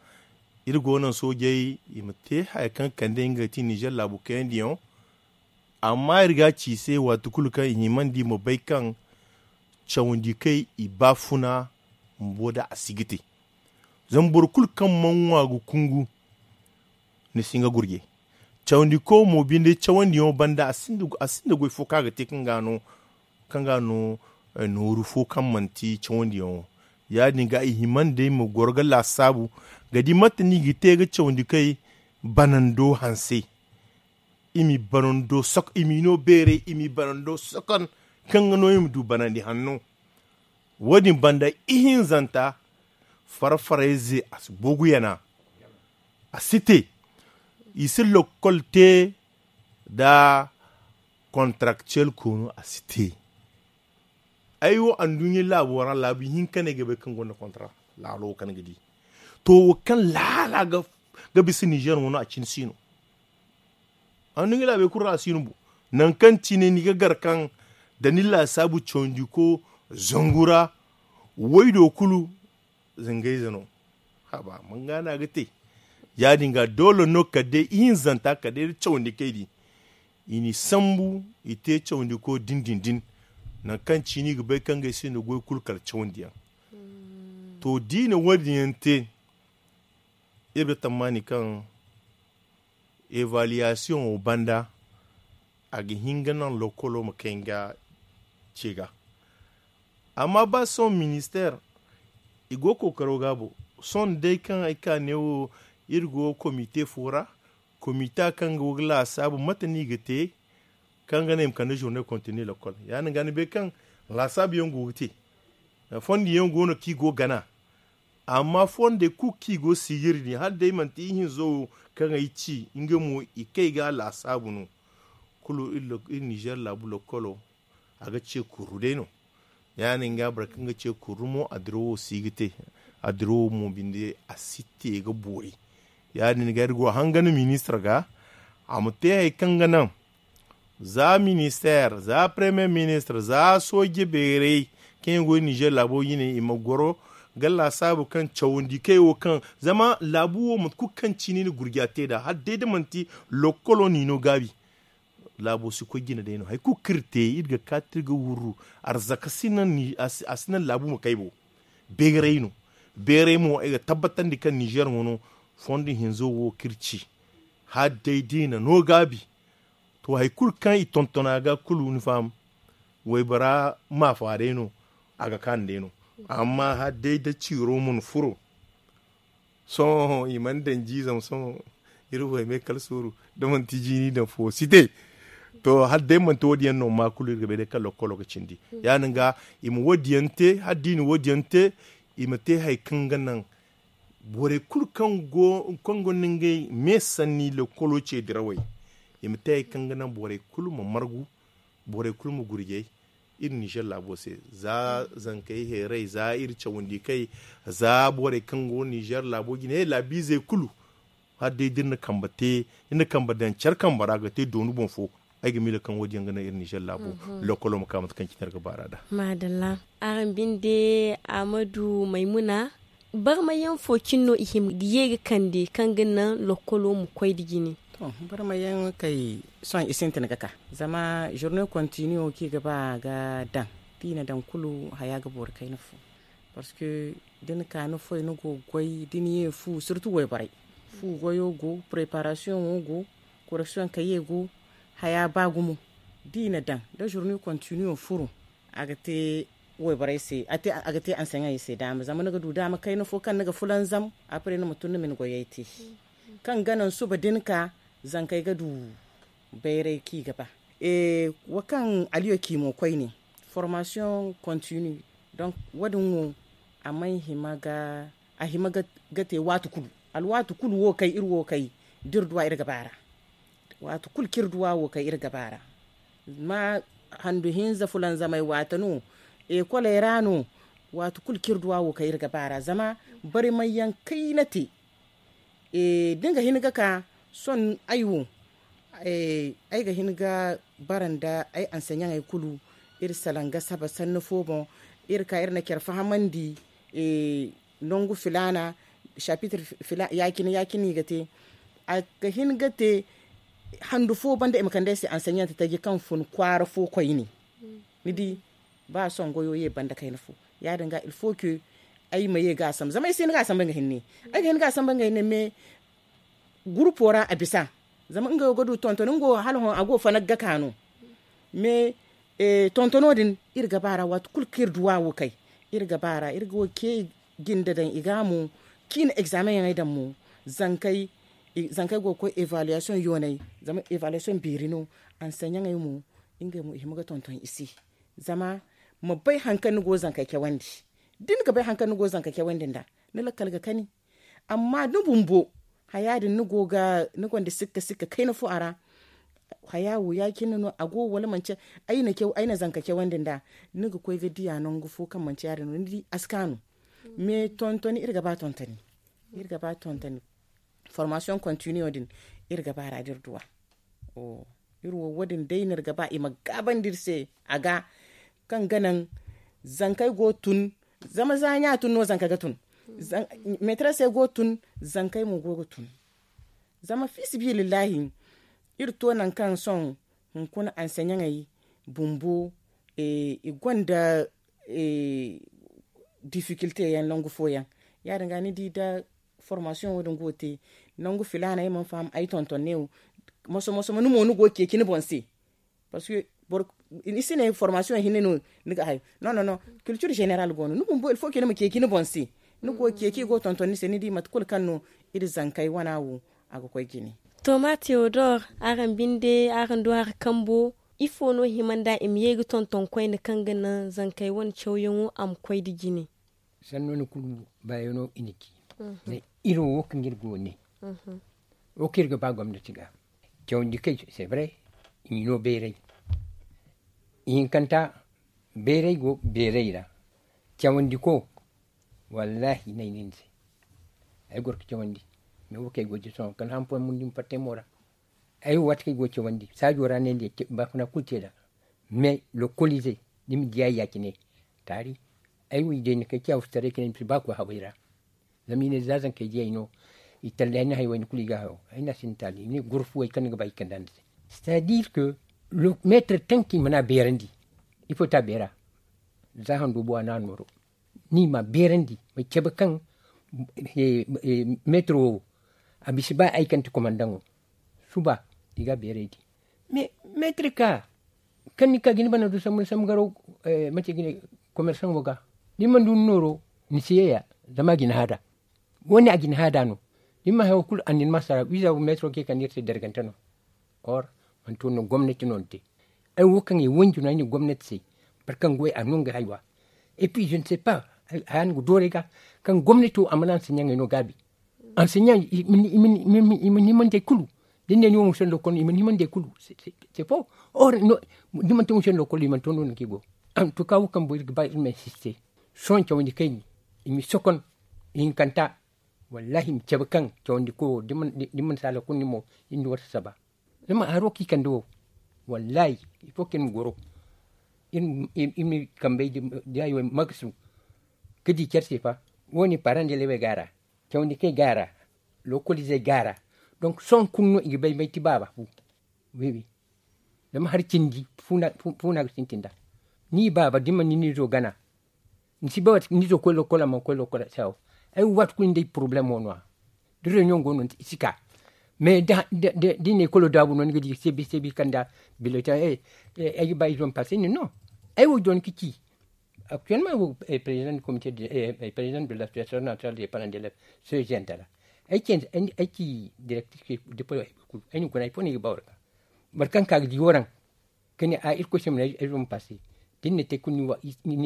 iri go naŋ soojey i ma te haya kaŋ kande nga ga ti nizer laabu kayandiyaŋo. Amma iri ga a ci i se waati kulu kaŋ i himandi i ma bay kaŋ cawandi kaŋ i ba funa bumbo nd'a a si ga te. Zama boro kulu kaŋ mana ŋwa ga kungu ni si nga gurje. Cawandi ko mo binde cawandiyaŋo banda a sinda goy fo kaŋ a ga te kaŋ ga no kaŋ ga no nooru fo kaŋ manti cawandiyaŋo. Ya- din ga i himandi ay ma goro ga laasaabu ga di mate no i ga te ga cawandi kay banando hanse. I m'i banando sokon i m'i no beeray i m'i banando sokon kaŋ ga no i ma du banandi hanno. Wo- din banda ihinzanta fara farayze a si boogu yana. A si te i si lokkol te nda kontarakciyel koonu a si te. Ay wo anduɲɲa laabo ra laabu hinka no ay ga bay kaŋ gonda kontara laalo wo kaŋ ni ga di. To wo kaŋ laala ga bisa nizer wano a cine si no. Anduɲɲa laabey kulu ra a si no bo. Nangu kaŋ cine ni ga gar kaŋ da ni laasaabu cawandi ko zangu ra waydo kulu zangayze no. Haba manga no a ga te. Ya- din ga doole no kala day ihinzanta kala day da cawandi kay di i n'i sambu i te cawandi ko din din din. Nangu kaŋ ciini ga bay kaŋ ga ay se no goy kulu kala cawandiyaŋ. To da i na wo- din yaŋ te iri ga tammaani kaŋ evaluwasiyoŋo banda a ga hin ga naŋ lokolo ma kay nga ce ga. Amma ba sohõ ministeer i go kookaro ga bo. Sohõ day kaŋ ay ka neewo iri go komite fo ra komita kaŋ go ga laasaabu mate no i ga te kaŋ ga naŋ i ma kande zurne kontini lokol ya- din ga ni bay kaŋ laasaabu yaŋ go ga te. Fondo yaŋ go no kaŋ i go ga gana. Amma fondey kulu kaŋ i go ga siijiri din hala day manti ihinzo wo kaŋ ay ci nga mo i kay ga a laasaabu no. Kulu iri nizer laabu lokolo a ga ce kurru day no. Ya- din ga boro kaŋ ga ce kurru mo a dirawo si ga te. A dirawo mo binde a si te ga boori. Ya- din ga iri go ga hangan ministir ga a ma te hari kaŋ ga naŋ za ministeer za paremiye ministir za sooje beeray kaŋ yaŋ go nizer laabo jine i ma goro ga laasaabu kaŋ cawandi kay wo kaŋ zama laabu wo mate kulu kaŋ ciini na gurja te nd'a hala day da manti lokolo no i no gaabi. Laabo si koy jine day no hari kulu kaŋ iri te iri ga kaati iri ga wurru arzaka si naŋ laabu ma kay bo. Beeray no. Beeray mo ay ga tabbatandi kaŋ nizer wano fondo hinzo wo kaŋ iri ci hala day da i na no gaabi. To hari kulu kaŋ i tonton a ga kulu ni faham. Waybora maafa day no. A ga kaanu day no. Amma hala day da ciiro mana furo. Sohõ i mana daŋ jiizam sohõ. Iri waymey kala sooru da manti jiini daŋ fo si te. To hala day manti wo- din yaŋ no ma kulu iri ga bay day kaŋ lokkolo ga cindi. Ya- din ga i ma wo- din yaŋ te hala da i na wo- din yaŋ te. I ma te hari kaŋ ga naŋ borey kulu kaŋ go nda ngey me sanni lokkolo ce dirawey. I ma te hari kaŋ ga naŋ borey kulu ma margu. Borey kulu ma gurjay iri nizer laabo se. Za zankey heeray za iri cawandi kay za borey kaŋ go nizer laabo jine laabiizey kulu. Hala day da iri na kambe te iri na kambe daŋ care kambe ra ga te doonu boŋ fo. Ay ga miila kaŋ wo- din yaŋ ga naŋ iri nizer laabo lokolo ma ka mate kaŋ cine iri ga baar'a nd'a. Maadalla. Araŋ binde, ahmadu maymuna, barmayaŋ fo cine no i hima ga ye ga kande kaŋ ga naŋ lokkolo ma koy nda jine? To, barmayaŋ kay sohõ i sintin ga ka. Zama zorne kontiniyo kaŋ i ga ba ga daŋ, da i na daŋ kulu haya ga boori kayna fo. Parceque da ni ka ni foy ni go ga goy da ni ye fu sirtu wayborey. Fu goyo go, preparasiyoŋo go, koreksiyoŋ kaye go. Haya ba gumo da i na daŋ da zorne kontiniyo furo. A ga te wayborey se a ga te anseɲaŋey se daama zama ni ga du daama kayna fo kaŋ ni ga fulanzam. Apre ni ma tun ni ma ni goyey te kaŋ ga naŋ suba da ni ka zankey ga du bayray kaŋ i ga ba. Wo kaŋ aliyo ci mo koyne, formasiyoŋ kontini. Donk wo- din wo a mana hima ga a hima ga te waati kulu. Alwaati kulu wo kay iri wo kay da iri duw'a iri ga ba a ra. Waati kulu kaŋ iri duw'a wo kay iri ga ba a ra. Ma handu hinza fulanzamey waate no, ekoley ra no. Waati kulu kaŋ iri duw'a wo kay iri ga ba a ra zama barmay yaŋ kayna te. Da ni ga hin ga ka sohõ ay wo ay ga hin ga bara nda ay anseɲaŋey kulu. Iri salaŋ ga saba sanni fo boŋ. Iri ka iri na care fahamandi nangu filaana. Sapitir ya- cine ya- cine i ga te. A ga hin ga te handu fo banda i ma kande ay se anseɲante taji kaŋ fun kwaara fo koyne. Ni di ba sohõ goyo ye banda kayna fo. Ya- din ga il faut que ay ma ye ga a sambu zama ay si hin ga a sambu nga hinne. Ay ga hin ga a sambu nga hinne mais gurupo ra a bisa. Zama nga wo ga du tonton nga wo hala hõ a go fana ga ka no. Mais tontono din iri ga ba a ra waati kulu kaŋ iri duw'a wo kay iri ga ba a ra iri ga wo ce jinde daŋ i ga mo. Ciine egzameŋ yaŋ ay daŋ mo zankey go ga koy evaluwasiyoŋ yoonay. Zama evaluwasiyoŋ beeri no. Anseɲaŋey mo ngey mo i hima ga tonton i se. Zama ma bay hari kaŋ ni go ga zankey cawandi. Da ni ga bay hari kaŋ ni go ga zankey cawandi nd'a ni lakkal ga kani. Amma ni bumbo haya din ni go ga ni gonda sikka sikka kayna fo a ra. Haya wo ya- cine no a go wala manci? Ay na caw ay na zanka cawandi nd'a. Ni ga koy ga diya nangu fo kaŋ manci ya- din no ni di a si kaanu. Mais tontoni iri ga ba tontoni. Iri ga ba tontoni. Formasiyoŋ kontiniyo din iri ga ba a ra da iri duw'a. Iri wo wo- din day no iri ga ba i ma gaabandi iri se. A ga kaŋ ga naŋ zankey go ga tun. Zama za ɲa tun no zanka ga tun. Meetarasey go ga tun. Zankey mo go ga tun. Zama fiisabilillahi iri to nangu kaŋ sohõ hunkuna anseɲaŋey bumbo i gonda difikilte yaŋ nangu fooyaŋ. Ya- din ga ni di da formasiyoŋ wo- din go ga te nangu filaana ay mana faham ay tonton ne wo. Moso moso ma ni mo ni go ga ceeci ni boŋ se. Parceque ni si ne formasiyoŋ hinne no ni ga hayo. Non non non. Kiltir zeneral go no ni bumbo il faut que ni ma ceeci ni boŋ se. Ni go ga ceeci i go ga tonton ni se ni di mate kulu kaŋ no iri zankey wana wo a ga koy jine. To ma teodor, araŋ binde araŋ du hari kambo. Ifo no hima nd'a i ma ye ga tonton koyne kaŋ ga naŋ zankey wane cawyaŋo a ma koy nda jine? Sanno ni kulu baayano i na ci. Mais iri wo wo kaŋ iri go ne wo kaŋ iri ga ba gomnati ga. Cawandi kay se bare i ma no bayray. Ihinkanta bayray go bayray ra. Cawandi ko wallahi nay nin se. Ay goro ga cawandi. Mais wo kaŋ ay go ga ci sohõ kala hampoy mundin fattay mo ra. Ay wo waati kaŋ ay go ga cawandi saajo ra ne nda baafuna kulu te nd'a. Mais lokolize ni ma diya ya- cine. Taari ay wo i day ni kay ciya futaray kine ni si ba koy haway ra. Zama i ne za zankey diyay no i tallay ni hay wayne kulu i ga hayo. Ay na sinda taali i ne goro fuwey kaŋ ni ga ba i kand'a ni se. C'est à dire que meetar tanki mana beerandi. Ifo ta beera za hando bo a na nooro. Ni ma beerandi ma cabe kaŋ meetiro wo a bisa ba ay kaŋ ti komandaŋo. Suba i ga beerandi. Mais meetiro ka Kaŋ ni ka ga ni bana du sambu ni sambu garo, mate ga ne, komersaŋo ga, da ni mana du ni nooro, ni si ye ya. Zama a ga ni haada. Wo- ne a ga ni haada no. Da ni mana haya wo kulu a na ni ma sara wiiza wo meetiro ga ye kande iri se dargante no. Or, manti wo no gomnati no ni te. Ay wo kaŋ ay wanji no ay ne gomnati se, boro kaŋ goy a no nga haywa. Et puis je ne sais pas, haya no ga dooray ga, kaŋ gomnati wo a mana anseɲaŋey no gaabi. Anseɲaŋ i ma ni himandi ay kulu. Da ni ne ni wo ma sendo kulu i ma ni himandi ay kulu. C'est faux. Or, da manti wo ma sendo kulu i mana to no ni ga i go. Antuka wo kaŋ boy ga ba iri ma insiste. Sohõ cawandi kayni, i ma sokon, i hinkanta. Wallahi i ma cabe kaŋ cawandi koyo da mana sala kulu ni mo, iri na wata saba. Zama haro kaŋ i kande wo, wallahi, ifo kaŋ iri ma goro. Iri ma kambey da yayo makasu ga di care se fa. Wo- ne parandele wey ga a ra, cawandi kaŋ i ga a ra, lokolizey ga a ra. Donk sohõ kulu no i ga bay may ti baaba fu. Wi wi. Zama hari cindi, fu no a ga sintin nd'a. Ni baaba da ni mana ni nizo gana, ni si bay waati kulu ni zo koy lokola mana koy lokola sawo. Ay wo waati kulu ni day poroblemo no- ya. Da reunion go no i si ka. Mais da i na ekolo daabu no ni ga di sebi sebi kanda biletin. Ay ga ba izo ma pase ni no. Ay wo dooni ka ci. Actuellement wo président du comité, président de l'association nationale des parents d'élèves, soyezenta ra. Ay ci directrice de polo ay kulu ay na guna ay fo no ay ga ba war ga. Boro kaŋ ka ga di waraŋ ka ne a irkoy se ma na ay zuma pase. Da ni na te kulu ni wa ni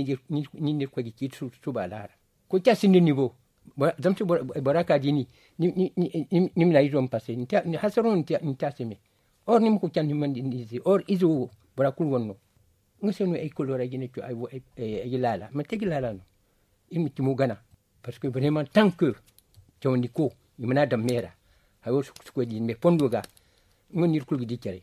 na irkoy ga ci suba laara. Koy ca sinda ni bo. Zama se bora ka di ni, ni ma na ay zuma pase ni hasaro no ni te a se me. Or ni ma koy ca ni ma ni se or izo wo bora kulu wane no. Nga se no ay kolora ay ga ne co ay ga laala manti ay ga laala no. Iri ma cimo gana. Parce que vraiment tant que cawandi ko i mana daŋ me ra. Hayo sukusukoy din me fondo ga. Nga no iri kulu ga di care.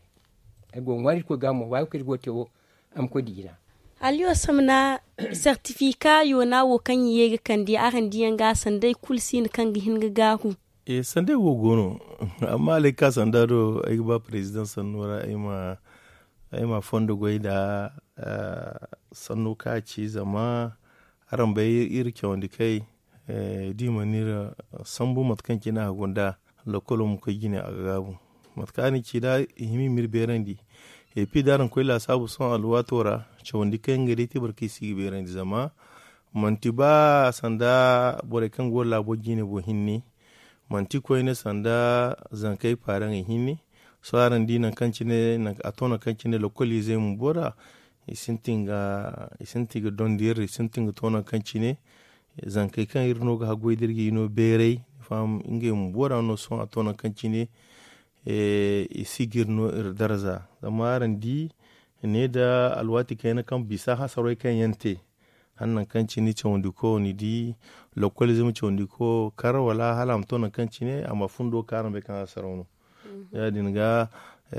Ay go ga ŋwaari iri koy ga mo wayo kaŋ iri go ga te wo. A ma koy dijina. Haliyo samna. Sertifika yona wo kaŋ i ye ga kande araŋ diyaŋ ga sanday kulu si no kaŋ ga hin ga gaahu. Sanday wo go no. Amma alay ka sanda do ay ga ba president sanno ra ay ma fondo goy nda sanno ka ci zama araŋ bay iri cawandi kay. Da i mana iri sambu mate kaŋ cine a ga gunda. Lokolo ma koy jine a ga gaabu. Mate kaŋ a na ci da i hima i ma iri beerandi. Epi da araŋ koy laasaabu sohõ alwaato ra cawandi kay ngey day te boro kaŋ i si ga beerandi zama manti ba sanda borey kaŋ go laabo jine boŋ hinne. Manti koyne sanda zankey paaraŋey hinne. Sohõ araŋ di nangu kaŋ cine a to nangu kaŋ cine lokoliizey bumbo ra i sintin ga dondi iri i sintin ga to nangu kaŋ cine zankey kaŋ iri no ga haggoy da iri ga i no beeray. Ni faham? Ngey bumbo ra no sohõ a to nangu kaŋ cine i si ga iri no iri darza. Zama araŋ di ne nda alwaati kayna kaŋ bisa hasarey kaŋ yaŋ te hala nangu kaŋ cine cawandi ko ni di lokoliizey ma cawandi ko kar wala hala a ma to nangu kaŋ cine a ma fundo ka araŋ bay kaŋ hasaraw no. Ya- din ga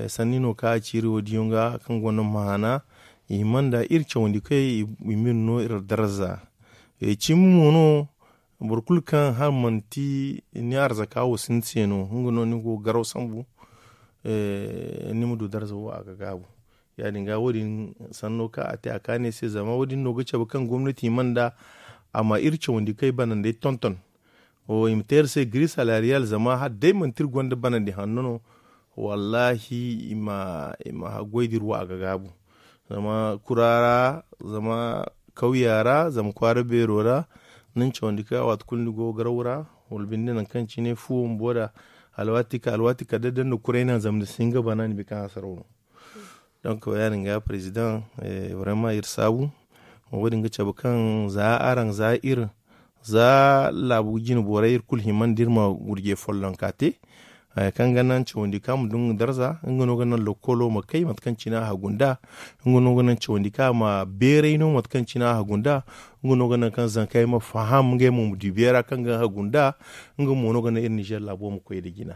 sanni no kaŋ a ci iri wo- din yaŋ ga kaŋ gonda maana i hima nda iri cawandi kay i ma iri no iri darza. Cimi mo no boro kulu kaŋ hala manti ni arzaka wo sinda se no nga no ni go ga garaw sambu ni ma du darza wo a ga gaabu. Ya- din ga wo- din sanno kaŋ a te a kaani ay se zama wo- din no ga cabe kaŋ gomnati hima nda a ma iri cawandi kay banandey tonton. I ma te iri se giri salariyal zama hala day manti iri gonda banandi hanno no. Wallahi i ma haggoy da iri wo a ga gaabu. Zama kura ra zama kawya ra zama kwaara beero ra ni na cawandi kay a waati kulu ni go ga garaw ra wala binde nangu kaŋ cine fuwo bumbo da alwaati ka alwaati kala day da ni na kuray naŋ zama ni si hin ga bana ni bi kaŋ hasaraw no. Donc ya- din ga president vraiment iri saabu. Wo- din ga cabe kaŋ za araŋ za iri za laabu jine borey iri kulu hima nda iri ma gurje follonka te. Haya kaŋ ga naŋ cawandi kaŋ a ma du nga darza nga no ga naŋ lokolo ma kay mate kaŋ cine a hagu nd'a. Nga no ga naŋ cawandi kaŋ a ma beeray no mate kaŋ cine a hagu nd'a. Nga no ga naŋ kaŋ zankey ma faham ngey mo ma du beera kaŋ ga hagu nd'a. Nga mo no ga naŋ iri nizer laabo ma koy nda jina.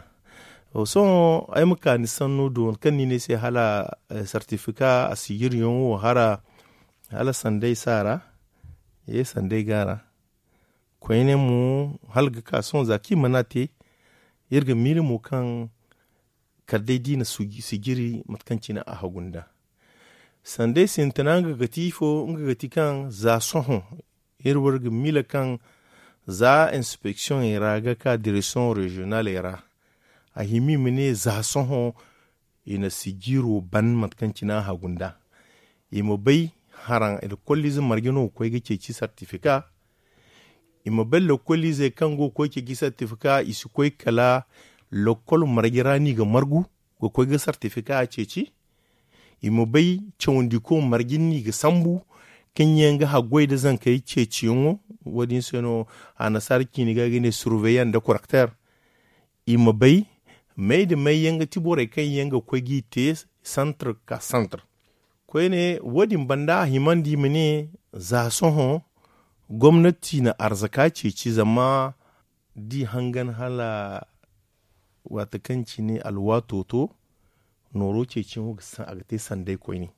Sohõ ay ma ka ni sanno do kaŋ ni ne ay se hala sartifika a sijiryaŋo hara hala sanday si a ra. Ye sanday go a ra. Koyne mo hala ga ka sohõ za kaŋ i mana te iri ga miila mo kaŋ kala day da i na sijiri mate kaŋ cine a hagu nd'a. Sanday sintina nga ga ti ifo nga ga ti kaŋ za sohõ iri wo iri ga miila kaŋ za inspeksiyoŋey ra ga ka direksiyoŋ reziyonaley ra a hima i ma ne za sohõ i na sijiro ban mate kaŋ cine a hagu nd'a. I ma bay haraŋ lekoliize marje no ga koy ga ceeci sartifika. I ma bay lekoliizey kaŋ go ga koy ceeci sartifika i si koy kala lekol marje ra no i ga margu ga koy ga sartifika a ceeci. I ma bay cawandiko marje no i ga sambu kaŋ yaŋ ga haggoy nda zankey ceeciyaŋo. Wo-din se no annasaara ciini ga ga ne surveillant nda korekter. I ma bay may nda may yaŋ ga ti borey kaŋ yaŋ ga koy g'i te santar ka santar. Koyne wo-din banda a himandi i ma ne za sohõ gomnati na arzaka ceeci zama da i hangan hala waati kaŋ cine alwaato to nooro ceeciyaŋo ga te sanday koyne.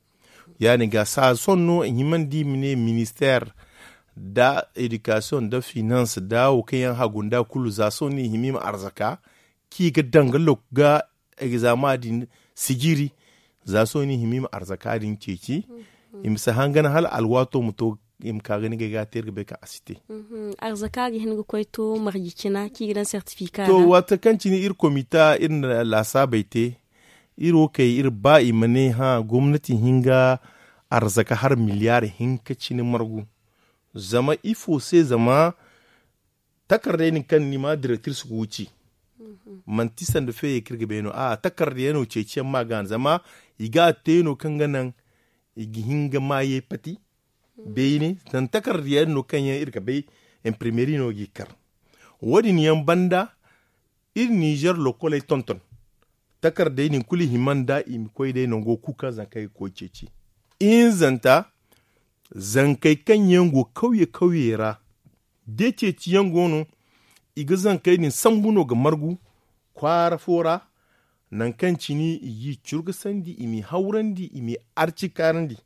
Ya- din ga saa sohõ no i himandi i ma ne ministeer nda edikasiyoŋ nda finans nda wo kaŋ yaŋ hagu nda kulu za sohõ no i hima i ma arzaka kaŋ i ga daŋ ga lok ga egzama din sijiri. Za sohõ no i hima i ma arzaka din ceeci i ma si hangan hala alwaato ma to i ma ka ga ni ga ay ga a te iri ga bay kaŋ a si te. Arzaka ga hin ga koy to marji cina kaŋ i ga daŋ sertifika to ra. Waati kaŋ cine iri komita iri na laasaabey te iri wo kay iri ba i ma ne hã gomnati hin ga arzaka har miliyaari hinka cine margu. Zama ifo se zama takarday din kaŋ ni ma direktiris ga wuci manti sanda feeyey kaŋ iri ga bay no a takarda yaŋ no ceeci yaŋ ma ga no zama i ga a te no kaŋ ga naŋ i ga hin ga maayey pati beene zama takarda yaŋ no kaŋ yaŋ iri ga bay imprimeeri no g'i kar. Wo- din yaŋ banda iri ninzeer lokoley tonton takardey din kulu i hima nda i ma koy day nango kulu kaŋ zankey ga koy ceeci. Ihinzanta zankey kaŋ yaŋ go kawye kawyey ra da ceeciyaŋ go no i ga zankey din sambu no ga margu kwaara fo ra. Nangu kaŋ cine i g'i curgasandi i m'i hawrandi i m'i arcikaarandi.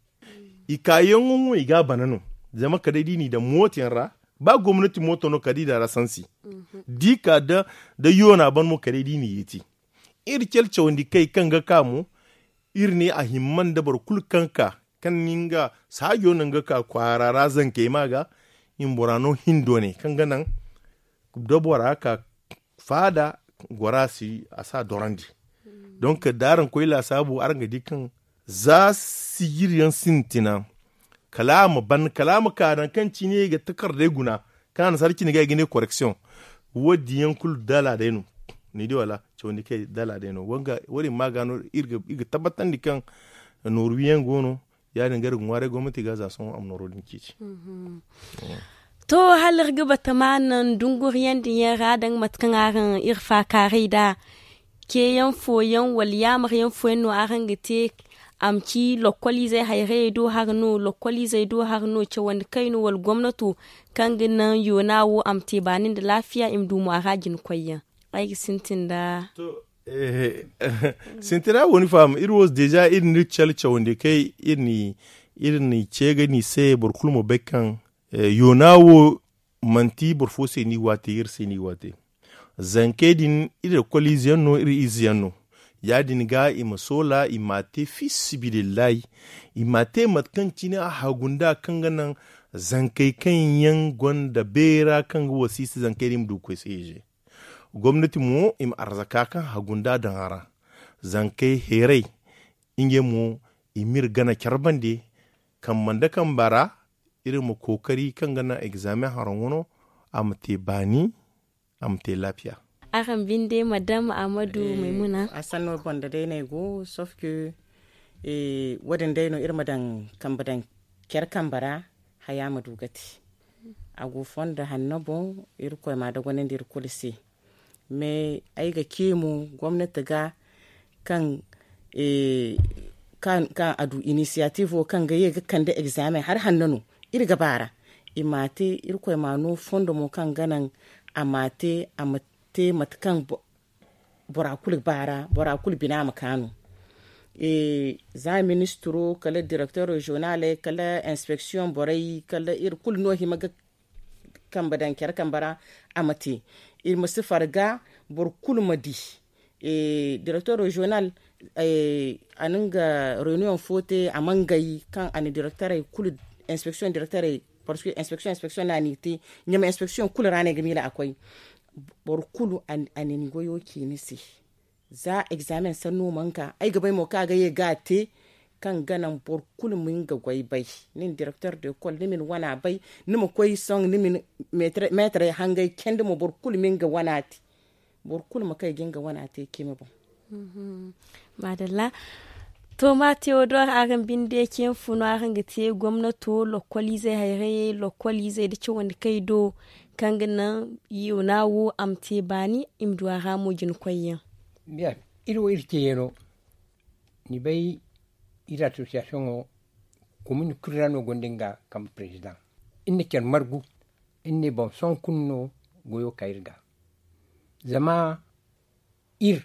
I kaayaŋo mo i ga a bana no zama kala day da i n'i daŋ mooto yaŋ ra ba gomnati mooto no kala da i daŋ a ra sansi da i ka da yoona ban mo kala day da i n'i yeeti. Iri care cawandi kay kaŋ ga ka mo iri ne a himma nda boro kulu kaŋ ka kaŋ ni nga saajo no nga ka kwaara ra zankey ma ga i ma bora no hindo ne kaŋ ga naŋ da bora ka faada gora si a si a dorandi. Donk da araŋ koy laasaabu araŋ ga di kaŋ za sijiri yaŋ sintina kala a ma ban kala a ma ka naŋ kaŋ cine ga takardey guna kaŋ a na sarci ni ga ay ga ne koreksiyoŋ. Wo- din yaŋ kulu dala day no ni di wala cawandi kay dala day no. Wo- din ma ga no iri ga tabbatandi kaŋ nooru wiyaŋ go no ya- din ga iri ga ŋwaaray gomnati ga za sohõ a ma nooro din ceeci. To hala iri ga bata ma naŋ dunguriyaŋ din yaŋ ra daŋ mate kaŋ araŋ iri faakaaray nd'a ceeyaŋ fooyaŋ wala yaamar yaŋ fooyaŋ no araŋ ga te a ma ci lokkoliizey hayrayey do hari no lokkoliizey do hari no cawandi kayno wala gomnato kaŋ ga naŋ yoona wo a ma te baani nda laafiya i ma du mo a ra jina koyyaŋ. Ay ga sintin nda sintina wo ni faham iri wo deeza iri na iri care cawandi kay iri na ce ga ni se boro kulu ma bay kaŋ yoona wo manti boro fo se no i go a te iri se no i go a te. Zankey din iri lakkoliize yaŋ no iri ize yaŋ no. Ya- din ga i ma soola i m'a te fi sabilillahi i m'a te mate kaŋ cine a hagu nda kaŋ ga naŋ zankey kaŋ yaŋ gonda beera kaŋ ga wasiisi zankey din ma du ga koy se ize. Gomnati mo i ma arzaka kaŋ hagu nda daŋ a ra zankey heeray ngey mo i m'iri gana care bande. Kambe nda kambe ra iri ma kookari kaŋ ga naŋ egzaameŋ haraŋo no a ma te baani a ma te laafiya. Araŋ binde madam amadu maymuna. A sanno banda day no ay go sof ke wo- din day no iri ma daŋ kambe daŋ care kambe ra haya ma du ga te. A go fondo hanno boŋ irkoy ma a dogonandi iri kulu se. Mais ay ga ce mo gomnati ga kaŋ kaŋ a du inisiyatif wo kaŋ ga ye ga kande egzaameŋ hari hanno no iri ga ba ra. I m'a te irkoy m'a no fondo mo kaŋ ga naŋ a m'a te a ma te mate kaŋ bora kulu ba ra bora kulu bina ma kaanu. Za ministiro kala direktor reziyonaley kala inspeksiyoŋ borey kala iri kulu no hima ga kambe daŋ care kambe ra a ma te. I ma si farga boro kulu ma di direktor reziyonal a na nga reyuniyoŋ fo te a mangay kaŋ a na direktorey kulu inspeksiyoŋ direktorey parceque inspeksiyoŋ inspeksiyoŋ no a n'i te ɲama inspeksiyoŋ kulu ra no ay ga miila a koy. Boro kulu a na ni goyo ci ni se. Za egzaameŋ sanno mana ka ay ga bay mo kaŋ a ga ye ga a te kaŋ ga naŋ boro kulu ma nga goy bay. Nin direktor de kol ni ma ni wana bay. Ni ma koy soŋ ni ma ni meetarey hangay candi mo boro kulu ma nga wana te. Boro kulu ma kay ga nga wana te cimi boŋ. Maadalla. To ma teodor araŋ binde cimi funo araŋ ga te gomnato lokkoliizey hayrayey lokkoliizey nda cawandi kay do kaŋ ga naŋ yoona wo a ma te baani i ma du a ra mo jina koyyaŋ. Iri wo iri ceeyaŋo ni bay. Iri asosiyasiyoŋo komin kulu ra no gonda nga kambe perezidaŋ. Iri na care margu iri ne boŋ sohõ kulu no goyo ka iri ga. Zama iri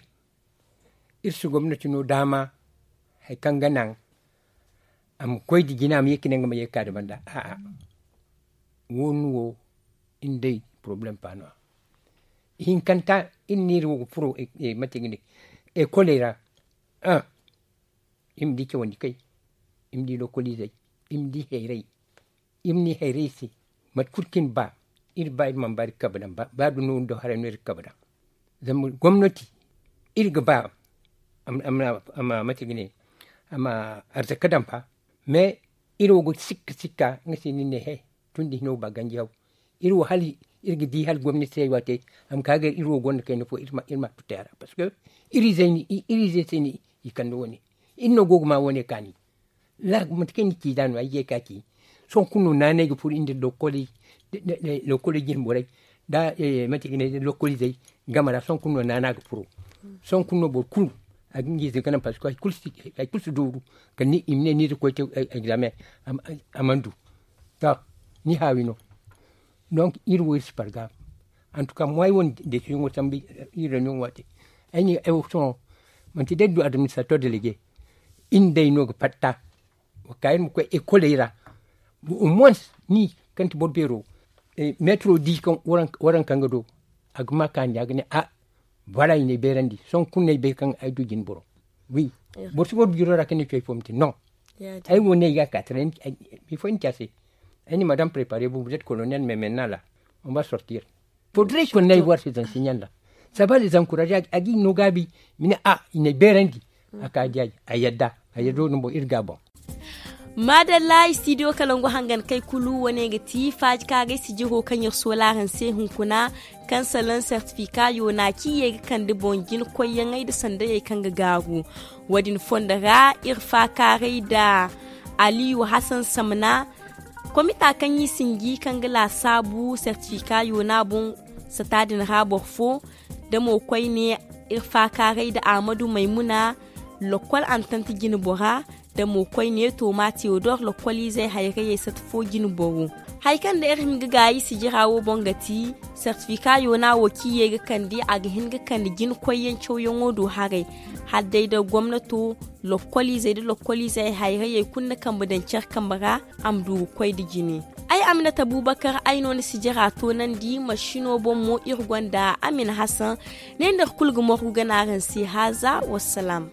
iri si gomnati no daama hari kaŋ ga naŋ a ma koy nda jina a ma ye ka ne nga ma ye ka ka da banda a'a. Wo ni wo iri day porobalem paano a ihinkanta iri no iri wo ga furo mate ga ne ekoley ra. Iri ma di cawandi kay iri ma di lokoliizey iri ma di hayray. Iri ma ni hayray se mate kulu kaŋ iri ba iri ba iri mana ba iri ga kabe daŋ ba da no nda haray no iri ga kabe daŋ. Zama gomnati iri ga ba a ma mate ga ne a ma arzaka daŋ fa. Mais iri wo ga sikka sikka nga se ni ne he tun da hino ba ganji haw. Iri wo hala iri ga di hala gomnati se ay waate a ma ka ga iri wo gonda kayna fo iri ma tutte a ra parce que iri izey se ni i kande wane iri no go ga ma wane kaani. Mate kaŋ ni ci da no ay ye ka ci sohõ kulu no naanay ga furo iri nda lokoli jine borey da mate ga ne lokoli zey game ra sohõ kulu no naana ga furo. Sohõ kulu no boro kulu a ga nga ize ga naŋ parce que hari kulu si dooru kala ni i ma ne ni iri ga koy te examen a mana du. To ni haawi no. Donc iri wo iri si parga. En tout cas mo ay wane desiyoŋo sambu iri reunion waate ay ne ay wo sohõ manti day du administrateur délégué. Iri day no ga fatta wa ka iri ma koy ekoley ra. Au moins ni kaŋ ti boro beero metro di kaŋ waranka nga do a ga ma kaani a ga ne a voilà i na ay beerandi sohõ kulu no ay bay kaŋ ay du jine boro. Wi boro si boro biro ra kaŋ ni coy fo ma te non. Ay wo ne ay ga ka tara bifo ni ci a se ay ne madame prépare bu vous êtes colonel mais maintenant là on va sortir. Faudrait qu'on aille voir ces enseignants là. Ça va les encourager a ga i no gaabi. Mine a i na ay beerandi a ka di ay a yadda a yadda no boŋ iri ga boŋ. Maadalla i studio kala ngo hangan kay kulu wane ga ti faaji kaagay sijiro kaŋ iri sola araŋ se hunkuna kaŋ salaŋ sertifika yoona kaŋ i ye ga kande boŋ jina koyyaŋey nda sandayey kaŋ ga gaaru. Wo- din fondo ra iri faakaaray nda aliyu hasan samna komita kaŋ i sinji kaŋ ga laasaabu sertifika yoona boŋ sata din ra boro fo. Da mo koyne iri faakaaray nda ahmadu maymuna lokol antanti jine bora da mo koyne toma teodor lokoliizey hayrayey sata fo jine boro. Hari kaŋ nda iri hin ga gaayi sijira wo boŋ ga ti sertifika yoona wo kaŋ i ye ga kande a ga hin ga kande jine koyyaŋ cawyaŋo do haray hala day da gomnato lokoliizey nda lokoliizey hayrayey kulu na kambe daŋ care kambe ra a ma du ga koy nda jine. Ay aminata bubakar ay no ni sijira toonandi masino boŋ mo iri gonda amin hasan. Ne nda iri kulu ga morgu gana araŋ se haaza wassalaam.